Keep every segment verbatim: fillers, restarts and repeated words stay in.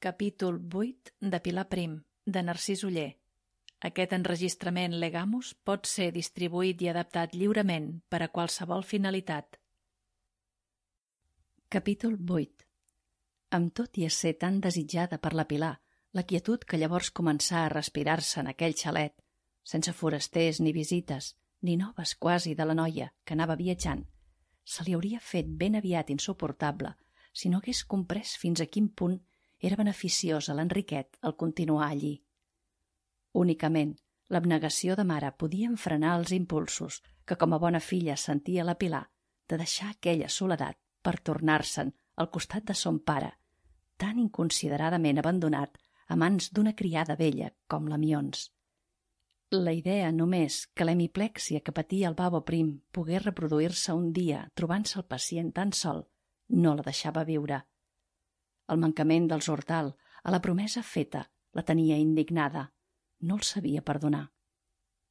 Capítol vuit de Pilar Prim, de Narcís Oller. Aquest enregistrament Legamus pot ser distribuït i adaptat lliurement per a qualsevol finalitat. Capítol vuit. Amb tot i ésser tan desitjada per la Pilar, la quietud que llavors començà a respirar-se en aquell xalet, sense forasters ni visites, ni noves quasi de la noia que anava viatjant, se li hauria fet ben aviat insuportable si no hagués comprès fins a quin punt era beneficiós a l'Enriquet el continuar allí. Únicament, l'abnegació de mare podia enfrenar els impulsos que com a bona filla sentia la Pilar de deixar aquella soledat per tornar-se'n al costat de son pare, tan inconsideradament abandonat a mans d'una criada vella com la Mions. La idea només que l'hemiplèxia que patia el babo prim pogués reproduir-se un dia trobant-se el pacient tan sol no la deixava viure. El mancament dels Hortal a la promesa feta la tenia indignada, no el sabia perdonar.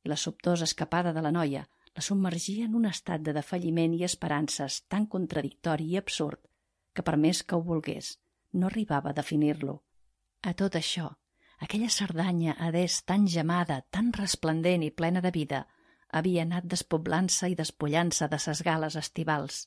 I la sobtosa escapada de la noia la submergia en un estat de defalliment i esperances tan contradictori i absurd que per més que ho volgués, no arribava a definir-lo. A tot això, aquella Cerdanya adés tan gemada, tan resplendent i plena de vida, havia anat despoblant-se i despullant-se de ses gales estivals.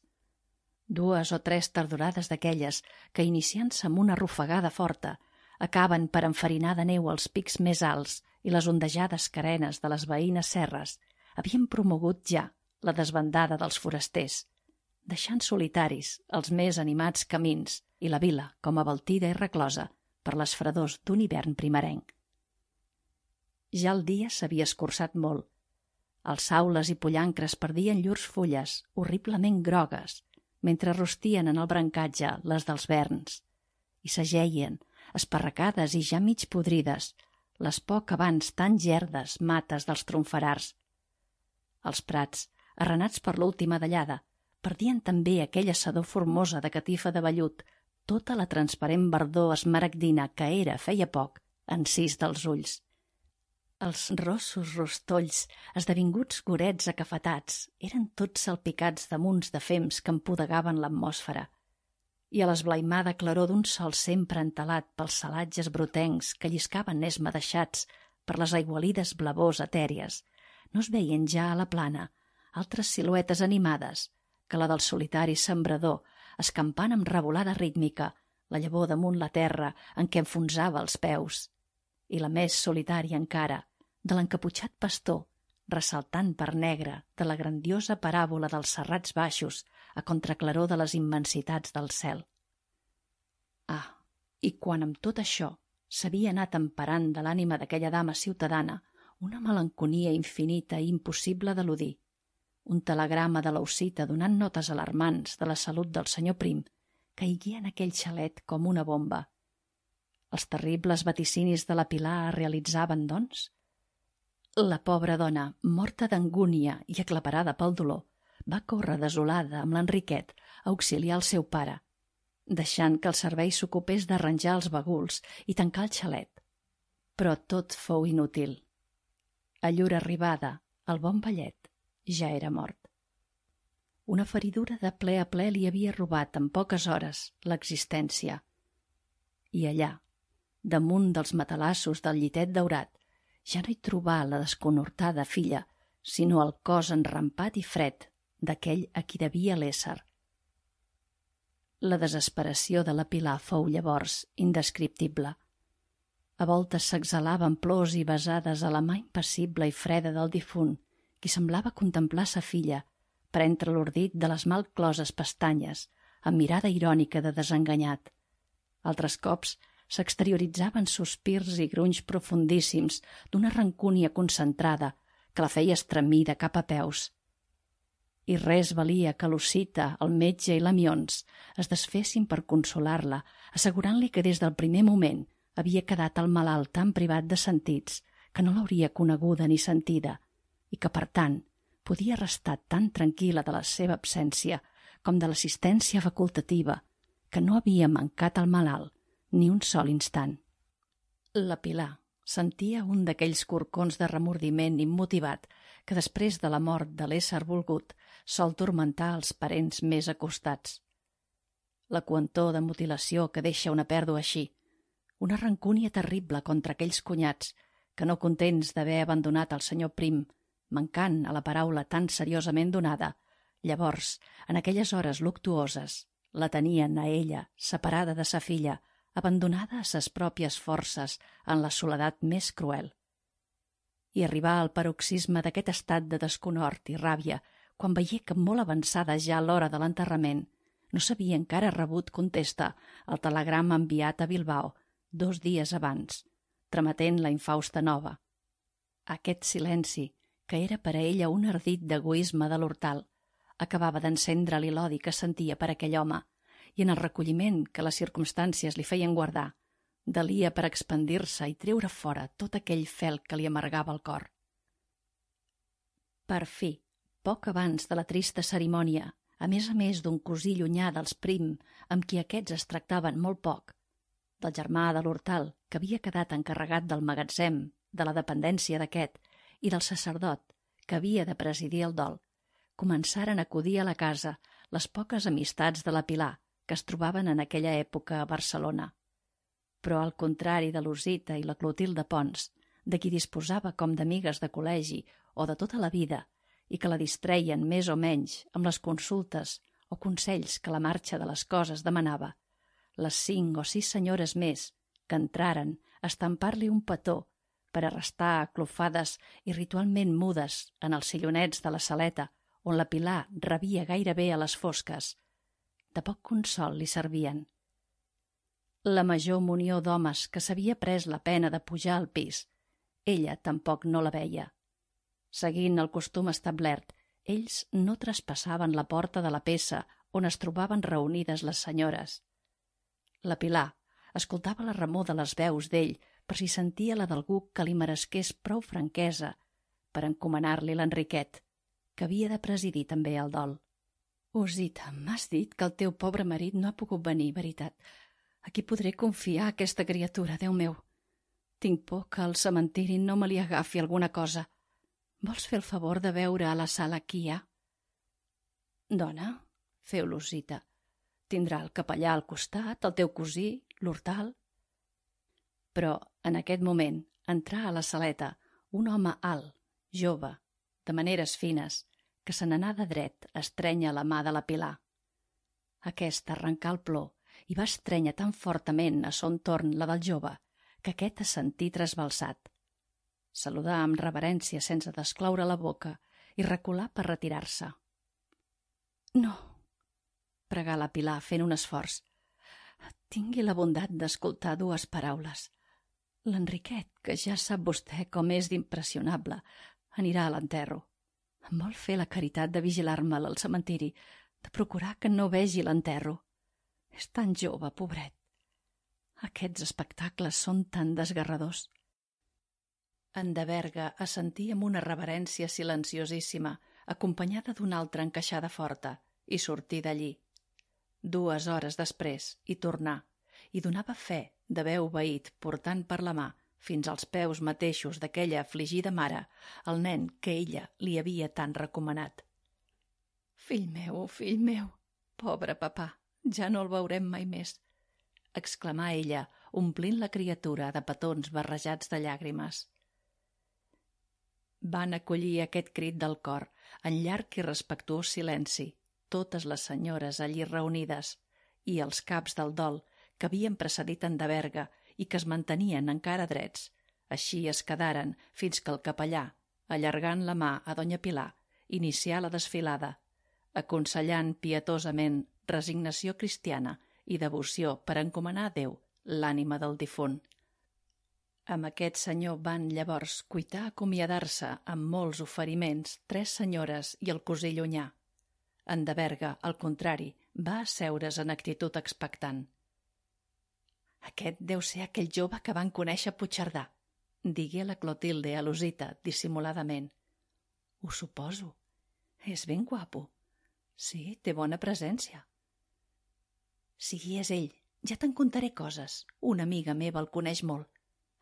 Dues o tres tardorades d'aquelles que, iniciant-se amb una rufagada forta, acaben per enfarinar de neu els pics més alts i les ondejades carenes de les veïnes serres, havien promogut ja la desbandada dels forasters, deixant solitaris els més animats camins i la vila com abaltida i reclosa per les fredors d'un hivern primerenc. Ja el dia s'havia escurçat molt. Els saules i pollancres perdien llurs fulles horriblement grogues, mentre rostien en el brancatge les dels verns, i s'ageien, esparracades i ja mig podrides, les poc abans tan gerdes mates dels tronferars. Els prats, arrenats per l'última dallada, perdien també aquella sedor formosa de catifa de vellut, tota la transparent verdor esmaragdina que era, feia poc, encís dels ulls. Els rossos rostolls, esdevinguts gorets acafetats, eren tots salpicats de munts de fems que empudegaven l'atmosfera, i a l'esblaimada claror d'un sol sempre entelat pels salatges brotencs que lliscaven esmadeixats per les aigualides blavors etèries, no es veien ja a la plana altres siluetes animades que la del solitari sembrador, escampant amb revolada rítmica la llavor damunt la terra en què enfonsava els peus, i la més solitària encara, de l'encaputxat pastor, ressaltant per negre de la grandiosa paràbola dels serrats baixos a contraclaror de les immensitats del cel. Ah, i quan amb tot això s'havia anat emparant de l'ànima d'aquella dama ciutadana una melanconia infinita i impossible d'eludir, un telegrama de l'Ausita donant notes alarmants de la salut del senyor Prim caiguia en aquell xalet com una bomba. Els terribles vaticinis de la Pilar es realitzaven, doncs? La pobra dona, morta d'angúnia i aclaparada pel dolor, va córrer desolada amb l'Enriquet a auxiliar el seu pare, deixant que el servei s'ocupés d'arranjar els baguls i tancar el xalet. Però tot fou inútil. A llur arribada, el bon vellet ja era mort. Una feridura de ple a ple li havia robat en poques hores l'existència. I allà, damunt dels matalassos del llitet daurat, ja no hi trobà la desconortada filla, sinó el cos enrampat i fred d'aquell a qui devia l'ésser. La desesperació de la Pilar fou llavors indescriptible. A voltes s'exhalaven plors i besades a la mà impassible i freda del difunt, qui semblava contemplar sa filla per entre l'ordit de les mal closes pestanyes, amb mirada irònica de desenganyat. Altres cops s'exterioritzaven sospirs i grunys profundíssims d'una rancúnia concentrada que la feia estremir de cap a peus. I res valia que l'Osita, el metge i la Mions es desfessin per consolar-la, assegurant-li que des del primer moment havia quedat el malalt tan privat de sentits que no l'hauria coneguda ni sentida i que, per tant, podia restar tan tranquil·la de la seva absència com de l'assistència facultativa, que no havia mancat al malalt ni un sol instant. La Pilar sentia un d'aquells corcons de remordiment immotivat que després de la mort de l'ésser volgut sol turmentar els parents més acostats. La coentor de mutilació que deixa una pèrdua així, una rancúnia terrible contra aquells cunyats que, no contents d'haver abandonat el senyor Prim, mancant a la paraula tan seriosament donada, llavors, en aquelles hores luctuoses, la tenien a ella, separada de sa filla, abandonada a ses pròpies forces en la soledat més cruel. I arribar al paroxisme d'aquest estat de desconhort i ràbia quan veié que molt avançada ja l'hora de l'enterrament no s'havia encara rebut contesta al telegrama enviat a Bilbao dos dies abans, trametent la infausta nova. Aquest silenci, que era per a ella un ardit d'egoisme de l'hortal, acabava d'encendre-li l'odi que sentia per aquell home i en el recolliment que les circumstàncies li feien guardar, delia per expandir-se i treure fora tot aquell fel que li amargava el cor. Per fi, poc abans de la trista cerimònia, a més a més d'un cosí llunyà dels Prim, amb qui aquests es tractaven molt poc, del germà de l'hortal, que havia quedat encarregat del magatzem, de la dependència d'aquest, i del sacerdot, que havia de presidir el dol, començaren a acudir a la casa les poques amistats de la Pilar que es trobaven en aquella època a Barcelona. Però al contrari de l'Osita i la Clotilde Pons, de qui disposava com d'amigues de col·legi o de tota la vida, i que la distreien més o menys amb les consultes o consells que la marxa de les coses demanava, les cinc o sis senyores més que entraren a estampar-li un petó per a restar aclofades i ritualment mudes en els sillonets de la saleta on la Pilar rebia gairebé a les fosques, de poc consol li servien. La major munió d'homes que s'havia pres la pena de pujar al pis, ella tampoc no la veia. Seguint el costum establert, ells no traspassaven la porta de la peça on es trobaven reunides les senyores. La Pilar escoltava la remor de les veus d'ell per si sentia la d'algú que li meresqués prou franquesa per encomanar-li l'Enriquet, que havia de presidir també el dol. Osita, m'has dit que el teu pobre marit no ha pogut venir, veritat. A qui podré confiar aquesta criatura, Déu meu? Tinc por que al cementiri no me li agafi alguna cosa. Vols fer el favor de veure a la sala qui hi ha? Dona, feu l'Osita. Tindrà el capellà al costat, el teu cosí, l'hortal. Però, en aquest moment, entrà a la saleta un home alt, jove, de maneres fines, que se n'anà de dret a estrènyer la mà de la Pilar. Aquesta arrencà el plor i va estrènyer tan fortament a son torn la del jove que aquest es sentí trasbalsat. Saludà amb reverència sense descloure la boca i reculà per retirar-se. No, pregà la Pilar fent un esforç. Tingui la bondat d'escoltar dues paraules. L'Enriquet, que ja sap vostè com és d'impressionable, anirà a l'enterro. Em vol fer la caritat de vigilar-me'l al cementiri, de procurar que no vegi l'enterro. És tan jove, pobret. Aquests espectacles són tan desgarradors. En de Berga assentí amb una reverència silenciosíssima, acompanyada d'una altra encaixada forta, i sortí d'allí. Dues hores després hi tornà, i donava fe d'haver obeït portant per la mà fins als peus mateixos d'aquella afligida mare, el nen que ella li havia tant recomanat. «Fill meu, fill meu, pobre papà, ja no el veurem mai més», exclamà ella, omplint la criatura de petons barrejats de llàgrimes. Van acollir aquest crit del cor, en llarg i respectuós silenci, totes les senyores allí reunides, i els caps del dol que havien precedit en de Berga i que es mantenien encara drets. Així es quedaren fins que el capellà, allargant la mà a Donya Pilar, inicià la desfilada, aconsellant pietosament resignació cristiana i devoció per encomanar a Déu l'ànima del difunt. Amb aquest senyor van llavors cuitar acomiadar-se amb molts oferiments tres senyores i el cosí llunyà. En de Berga, al contrari, va asseure's en actitud expectant. «Aquest deu ser aquell jove que van conèixer a Puigcerdà», digué la Clotilde a l'Osita dissimuladament. «Ho suposo. És ben guapo. Sí, té bona presència». «Si és ell, ja te'n contaré coses. Una amiga meva el coneix molt.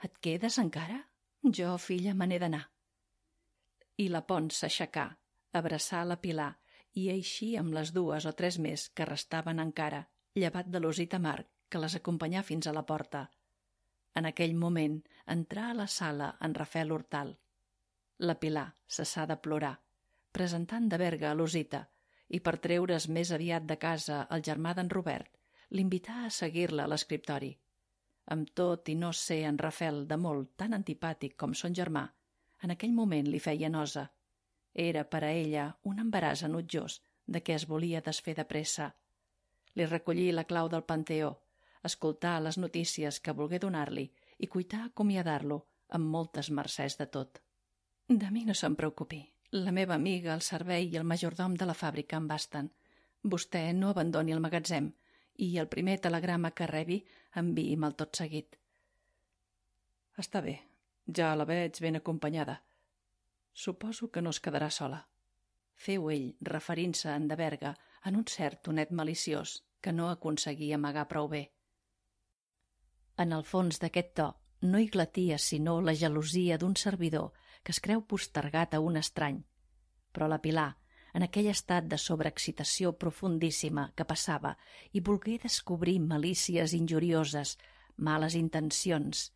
Et quedes encara? Jo, filla, me n'he d'anar». I la Pons s'aixecà, abraçà la Pilar i eixí amb les dues o tres més que restaven encara, llevat de l'Osita Marc, que les acompanyà fins a la porta. En aquell moment entrà a la sala en Rafel Hortal. La Pilar cessà de plorar, presentant de Berga a l'Osita, i per treure's més aviat de casa el germà d'en Robert, l'invità a seguir-la a l'escriptori. Amb tot i no ser en Rafel de molt tan antipàtic com son germà, en aquell moment li feia nosa. Era per a ella un embaràs enutjós de què es volia desfer de pressa. Li recollí la clau del Panteó, escoltar les notícies que volgué donar-li i cuitar acomiadar-lo amb moltes mercès de tot. De mi no se'n preocupi. La meva amiga, el servei i el majordom de la fàbrica em basten. Vostè no abandoni el magatzem i el primer telegrama que rebi enviï'm-el tot seguit. Està bé, ja la veig ben acompanyada. Suposo que no es quedarà sola. Feu ell, referint-se a en de Berga en un cert tonet maliciós que no aconseguia amagar prou bé. En el fons d'aquest to no hi glatia sinó la gelosia d'un servidor que es creu postergat a un estrany. Però la Pilar, en aquell estat de sobreexcitació profundíssima que passava, i volgué descobrir malícies injurioses, males intencions,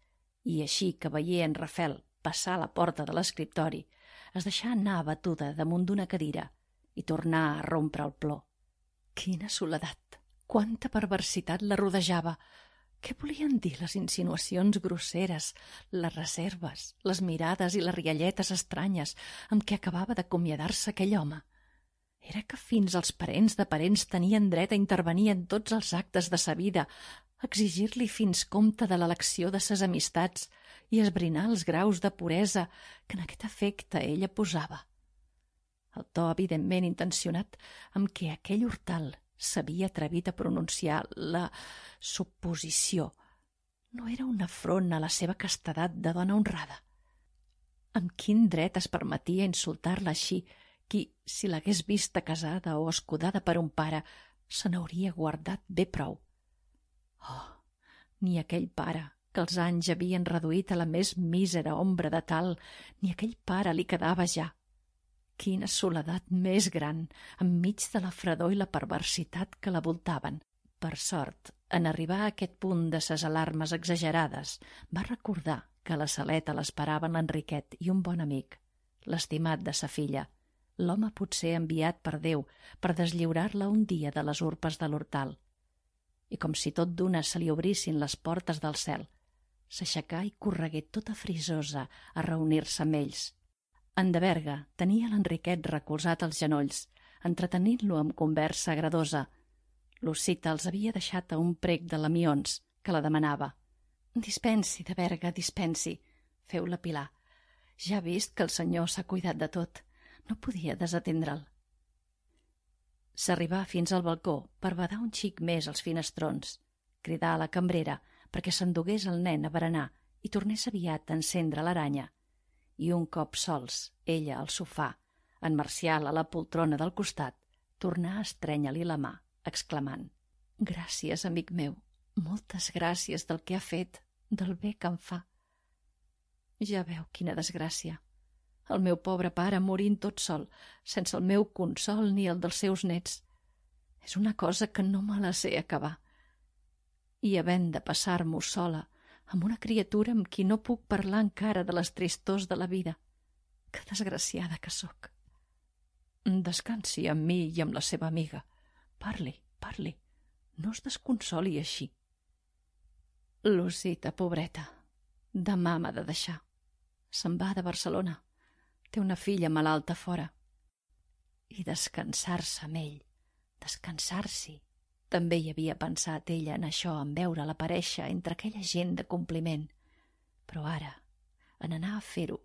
i així que veié en Rafel passar a la porta de l'escriptori, es deixà anar abatuda damunt d'una cadira i tornà a rompre el plor. Quina soledat! Quanta perversitat la rodejava! Què volien dir les insinuacions grosseres, les reserves, les mirades i les rialletes estranyes amb què acabava d'acomiadar-se aquell home? Era que fins els parents de parents tenien dret a intervenir en tots els actes de sa vida, exigir-li fins compte de l'elecció de ses amistats i esbrinar els graus de puresa que en aquest efecte ella posava. El to evidentment intencionat amb què aquell Hortal s'havia atrevit a pronunciar la suposició no era un afront a la seva castedat de dona honrada. Amb quin dret es permetia insultar-la així, qui, si l'hagués vista casada o escudada per un pare, se n'hauria guardat bé prou. Oh, ni aquell pare, que els anys havien reduït a la més mísera ombra de tal, ni aquell pare li quedava ja. Quina soledat més gran, enmig de la fredor i la perversitat que la voltaven. Per sort, en arribar a aquest punt de ses alarmes exagerades, va recordar que a la saleta l'esperaven l'Enriquet i un bon amic, l'estimat de sa filla, l'home potser enviat per Déu per deslliurar-la un dia de les urpes de l'Hortal. I com si tot d'una se li obrissin les portes del cel, s'aixecà i corregué tota frisosa a reunir-se amb ells. En de Berga tenia l'Enriquet recolzat als genolls, entretenint-lo amb conversa agradosa. L'Osita els havia deixat a un prec de lamions, que la demanava. «Dispensi, de Berga, dispensi», feu la Pilar. «Ja ha vist que el senyor s'ha cuidat de tot. No podia desatendre'l». S'arribà fins al balcó per badar un xic més als finestrons, cridar a la cambrera perquè s'endugués el nen a berenar i tornés aviat a encendre l'aranya. I un cop sols, ella al sofà, en Marcial a la poltrona del costat, tornà a estrènyer-li la mà, exclamant: «Gràcies, amic meu, moltes gràcies del que ha fet, del bé que em fa». Ja veu quina desgràcia. El meu pobre pare morint tot sol, sense el meu consol ni el dels seus nets. És una cosa que no me la sé acabar. I havent de passar-m'ho sola, amb una criatura amb qui no puc parlar encara de les tristors de la vida. Que desgraciada que sóc. Descansi amb mi i amb la seva amiga. Parli, parli. No es desconsoli així. L'Osita, pobreta, demà m'ha de deixar. Se'n va de Barcelona. Té una filla malalta fora. I descansar-se amb ell, descansar-s'hi. També hi havia pensat ella en això, en veure l'aparèixer entre aquella gent de compliment. Però ara, en anar a fer-ho,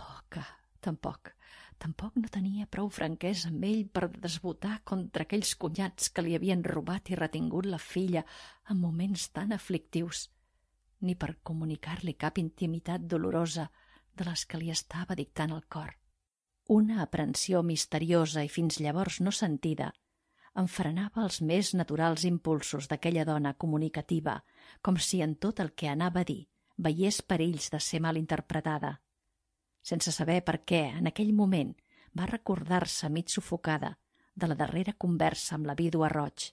oh, que tampoc, tampoc no tenia prou franquesa amb ell per desbotar contra aquells cunyats que li havien robat i retingut la filla en moments tan aflictius, ni per comunicar-li cap intimitat dolorosa de les que li estava dictant el cor. Una aprensió misteriosa i fins llavors no sentida enfrenava els més naturals impulsos d'aquella dona comunicativa, com si en tot el que anava a dir veiés perills de ser mal interpretada. Sense saber per què, en aquell moment, va recordar-se mig sufocada de la darrera conversa amb la vídua Roig.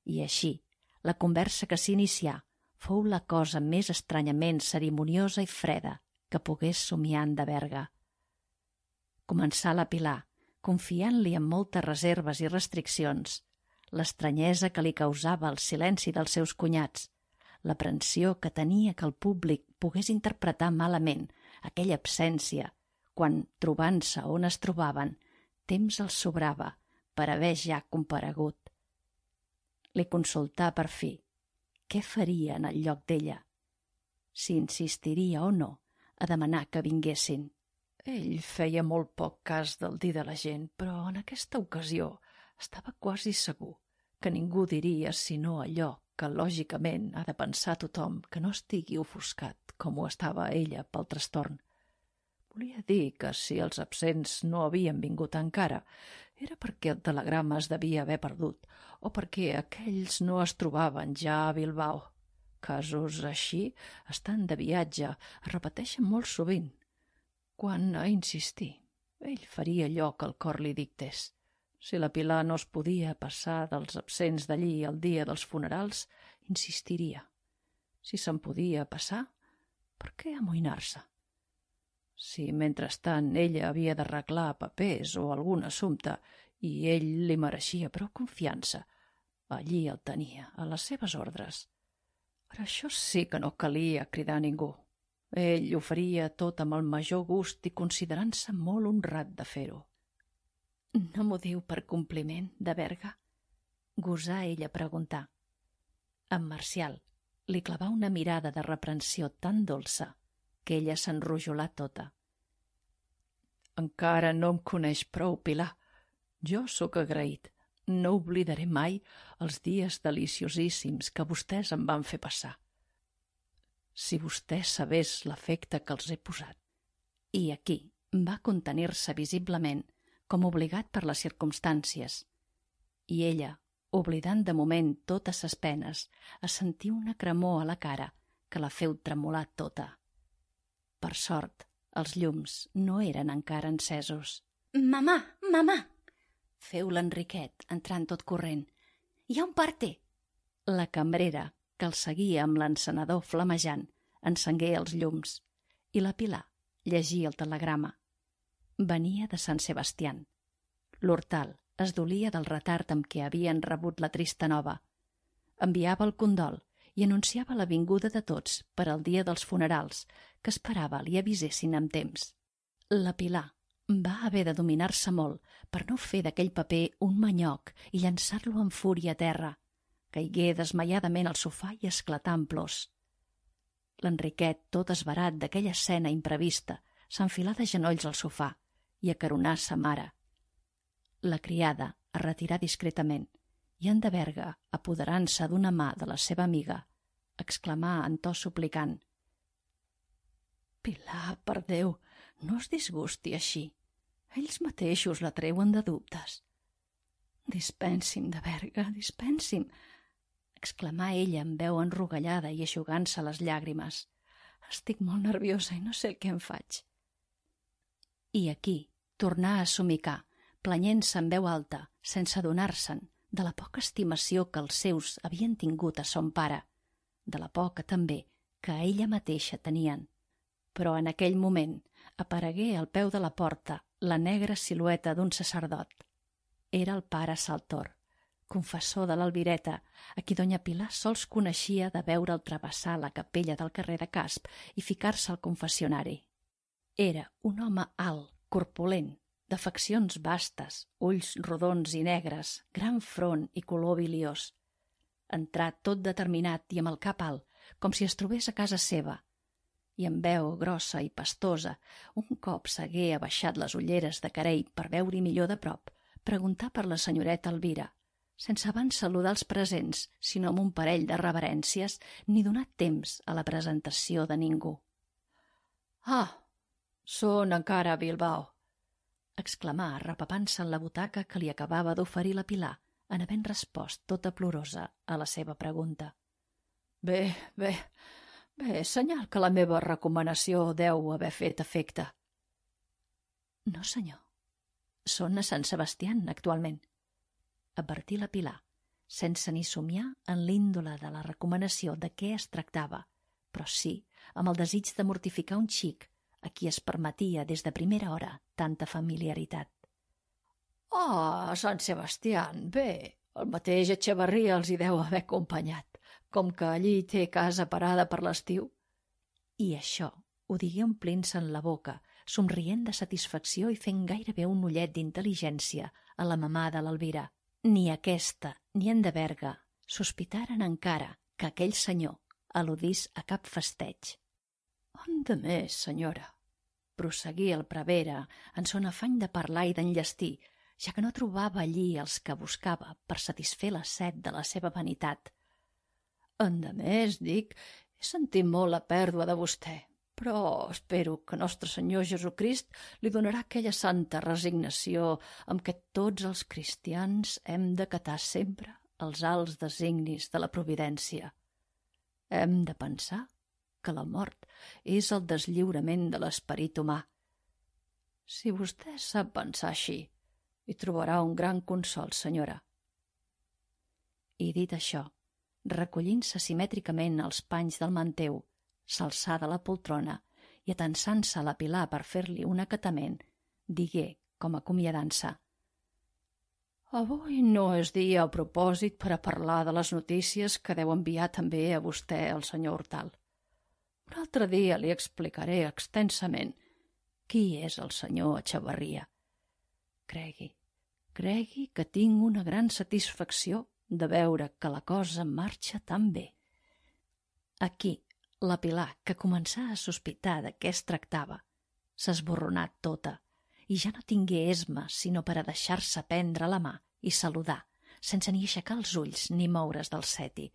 I així, la conversa que s'inicià fou la cosa més estranyament cerimoniosa i freda que pogués somiar en de Berga. Començà la Pilar, confiant-li amb moltes reserves i restriccions, l'estranyesa que li causava el silenci dels seus cunyats, l'aprensió que tenia que el públic pogués interpretar malament aquella absència quan, trobant-se on es trobaven, temps els sobrava per haver ja comparegut. Li consultà per fi què faria en el lloc d'ella, si insistiria o no a demanar que vinguessin. Ell feia molt poc cas del dir de la gent, però en aquesta ocasió estava quasi segur que ningú diria sinó allò que lògicament ha de pensar tothom que no estigui ofuscat com ho estava ella pel trastorn. Volia dir que si els absents no havien vingut encara era perquè el telegrama es devia haver perdut o perquè aquells no es trobaven ja a Bilbao. Casos així, estant de viatge, es repeteixen molt sovint. Quan a insistir, ell faria allò que el cor li dictés. Si la Pilar no es podia passar dels absents d'allí el dia dels funerals, insistiria. Si se'n podia passar, per què amoïnar-se? Si, mentrestant, ella havia d'arreglar papers o algun assumpte i ell li mereixia prou confiança, allí el tenia, a les seves ordres. Per això sí que no calia cridar a ningú. Ell ho faria tot amb el major gust i considerant-se molt honrat de fer-ho. «No m'ho diu per compliment, de Berga?» gosà ella preguntar. En Marcial li clavà una mirada de reprensió tan dolça que ella s'enrojolà tota. «Encara no em coneix prou, Pilar. Jo sóc agraït. No oblidaré mai els dies deliciosíssims que vostès em van fer passar. Si vostè sabés l'efecte que els he posat». I aquí va contenir-se visiblement, com obligat per les circumstàncies, i ella, oblidant de moment totes ses penes, es sentia una cremor a la cara que la feu tremolar tota. Per sort, els llums no eren encara encesos. «Mamà, mamà!» feu l'Enriquet, entrant tot corrent. «Hi ha un parte!» La cambrera, que el seguia amb l'encenedor flamejant, encengué els llums, i la Pilar llegia el telegrama. Venia de Sant Sebastián. L'Hortal es dolia del retard amb què havien rebut la trista nova. Enviava el condol i anunciava la vinguda de tots per al dia dels funerals, que esperava li avisessin amb temps. La Pilar va haver de dominar-se molt per no fer d'aquell paper un manyoc i llançar-lo amb fúria a terra. Caigué desmaiadament al sofà i esclatà en plors. L'Enriquet, tot esverat d'aquella escena imprevista, s'enfilà de genolls al sofà i acaronà sa mare. La criada es retirà discretament i en de Berga, apoderant-se d'una mà de la seva amiga, exclamà en to suplicant: «Pilar, per Déu, no es disgusti així. Ells mateixos la treuen de dubtes». «Dispensi'm, de Berga, dispensi'm», exclamà ella amb veu enrogallada i eixugant-se les llàgrimes. «Estic molt nerviosa i no sé el que em faig». I aquí tornà a somicar, planyent-se en veu alta, sense adonar-se'n de la poca estimació que els seus havien tingut a son pare, de la poca també que a ella mateixa tenien. Però en aquell moment aparegué al peu de la porta la negra silueta d'un sacerdot. Era el pare Saltor, confessor de l'Albireta, a qui doña Pilar sols coneixia de veure'l travessar la capella del carrer de Casp i ficar-se al confessionari. Era un home alt, corpulent, de faccions vastes, ulls rodons i negres, gran front i color biliós. Entrà tot determinat i amb el cap alt, com si es trobés a casa seva, i amb veu grossa i pastosa, un cop s'hagué abaixat les ulleres de carei per veure-hi millor de prop, preguntà per la senyoreta Elvira, sense abans saludar els presents, sinó amb un parell de reverències, ni donar temps a la presentació de ningú. «Ah, són encara a Bilbao», exclamà, arrepapant-se en la butaca que li acabava d'oferir la Pilar, en havent respost tota plorosa a la seva pregunta. «Bé, bé, bé, senyal que la meva recomanació deu haver fet efecte». «No, senyor. Són a Sant Sebastián, actualment», advertí la Pilar, sense ni somiar en l'índole de la recomanació de què es tractava, però sí amb el desig de mortificar un xic a qui es permetia des de primera hora tanta familiaritat. «Ah, Sant Sebastián, bé, el mateix Echevarria els hi deu haver acompanyat, com que allí té casa parada per l'estiu». I això ho digué omplint-se'n la boca, somrient de satisfacció i fent gairebé un ullet d'intel·ligència a la mamà de l'Elvira. Ni aquesta ni en de Berga sospitaren encara que aquell senyor al·ludís a cap festeig. «On de més, senyora», prosseguí el prevere en son afany de parlar i d'enllestir, ja que no trobava allí els que buscava per satisfer la set de la seva vanitat. «En de més, dic, he sentit molt la pèrdua de vostè, però espero que Nostre Senyor Jesucrist li donarà aquella santa resignació amb què tots els cristians hem d'acatar sempre els alts designis de la providència. Hem de pensar que la mort és el deslliurament de l'esperit humà. Si vostè sap pensar així, hi trobarà un gran consol, senyora». I dit això, recollint-se simètricament els panys del manteu, s'alçà de la poltrona i, atensant-se a la Pilar per fer-li un acatament, digué, com acomiadant-se: «Avui no és dia a propòsit per a parlar de les notícies que deu enviar també a vostè el senyor Hortal. Un altre dia li explicaré extensament qui és el senyor Echevarria. Cregui, cregui que tinc una gran satisfacció de veure que la cosa marxa tan bé». Aquí, la Pilar, que començà a sospitar de què es tractava, s'esborronà tota i ja no tingué esma sinó per a deixar-se prendre la mà i saludar, sense ni aixecar els ulls ni moure's del seti.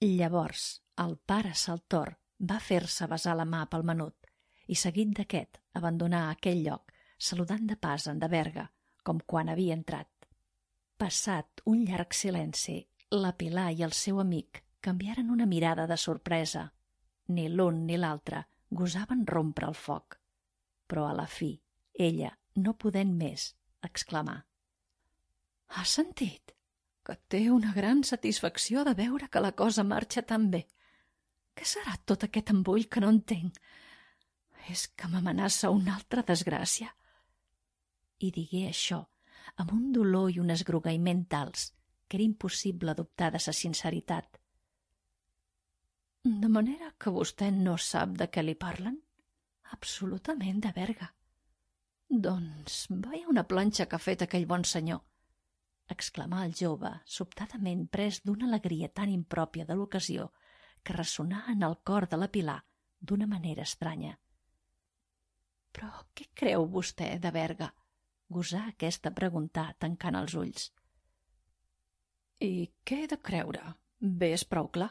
Llavors el pare Saltor va fer-se besar la mà pel menut i, seguit d'aquest, abandonar aquell lloc, saludant de pas en de Berga, com quan havia entrat. Passat un llarg silenci, la Pilar i el seu amic canviaren una mirada de sorpresa. Ni l'un ni l'altre gosaven rompre el foc. Però a la fi, ella, no podent més, exclamà: «Has sentit? Que té una gran satisfacció de veure que la cosa marxa tan bé. Què serà tot aquest embull que no entenc? És que m'amenaça una altra desgràcia?» I digué això amb un dolor i un esgrogueïment tals que era impossible dubtar de sa sinceritat. «De manera que vostè no sap de què li parlen?» «Absolutament, de Berga». «Doncs vaja una planxa que ha fet aquell bon senyor», exclamà el jove, sobtadament pres d'una alegria tan impròpia de l'ocasió que ressonà en el cor de la Pilar d'una manera estranya. «Però què creu vostè, de Berga?», gosà aquesta preguntar, tancant els ulls. «I què he de creure? Bé, és prou clar.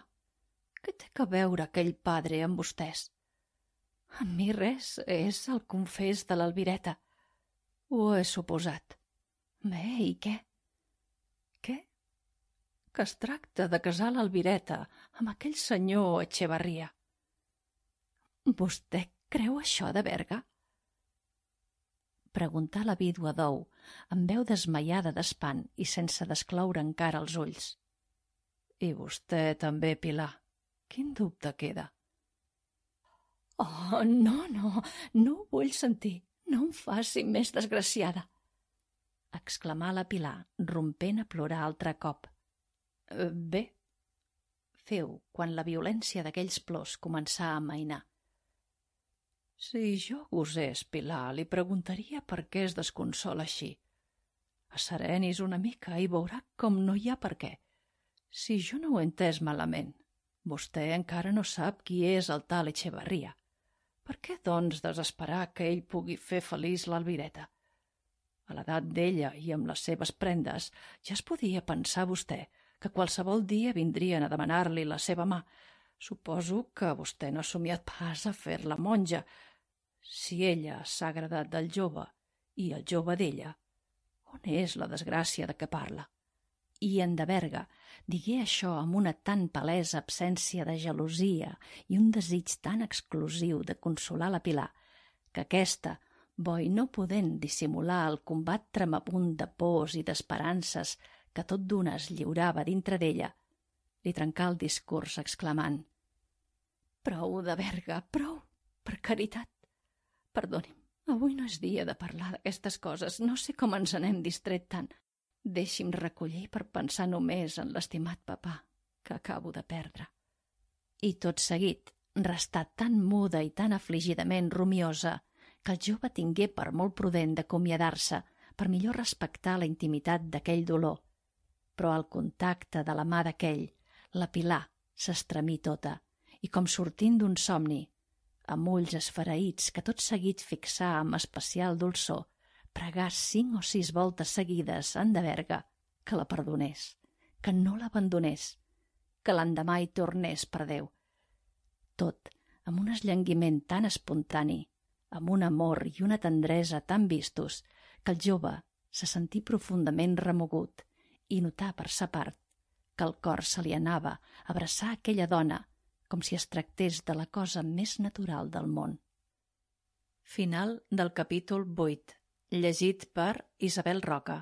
Què té que veure aquell padre amb vostès?» «A mi res, és el confés de l'Alvireta». «Ho he suposat. Bé, i què?» «Què? Que es tracta de casar l'Alvireta amb aquell senyor Echevarria». «Vostè creu això, de Berga?», preguntà la vídua d'Ou, amb veu desmaiada d'espant i sense descloure encara els ulls. «I vostè també, Pilar? Quin dubte queda?» «Oh, no, no, no ho vull sentir. No em faci més desgraciada», exclamà la Pilar, rompent a plorar altre cop. Eh, «Bé», feu quan la violència d'aquells plors començà a amainar. «Si jo gosés, Pilar, li preguntaria per què es desconsola així. Asserenis una mica i veurà com no hi ha per què. Si jo no ho he entès malament, vostè encara no sap qui és el tal Echevarria. Per què, doncs, desesperar que ell pugui fer feliç l'Alvireta? A l'edat d'ella i amb les seves prendes ja es podia pensar vostè que qualsevol dia vindrien a demanar-li la seva mà. Suposo que vostè no ha somiat pas a fer-la monja. Si ella s'ha agradat del jove i el jove d'ella, on és la desgràcia de què parla?» I en de Berga digué això amb una tan palesa absència de gelosia i un desig tan exclusiu de consolar la Pilar que aquesta, bo i no podent dissimular el combat tremabunt de pors i d'esperances que tot d'una es lliurava dintre d'ella, li trencà el discurs exclamant: «Prou de Berga, prou, per caritat. Perdoni'm, avui no és dia de parlar d'aquestes coses, no sé com ens n'hem distret tant. Deixi'm recollir per pensar només en l'estimat papà que acabo de perdre». I tot seguit restà tan muda i tan afligidament rumiosa que el jove tingué per molt prudent d'acomiadar-se per millor respectar la intimitat d'aquell dolor. Però al contacte de la mà d'aquell, la Pilar s'estremí tota i, com sortint d'un somni, amb ulls esfereïts que tot seguit fixà amb especial dolçor, pregà cinc o sis voltes seguides en de Berga que la perdonés, que no l'abandonés, que l'endemà hi tornés, per Déu. Tot amb un esllanguiment tan espontani, amb un amor i una tendresa tan vistos, que el jove se sentí profundament remogut i notà per sa part que el cor se li anava a abraçar aquella dona com si es tractés de la cosa més natural del món. Final del capítol vuit. Llegit per Isabel Roca.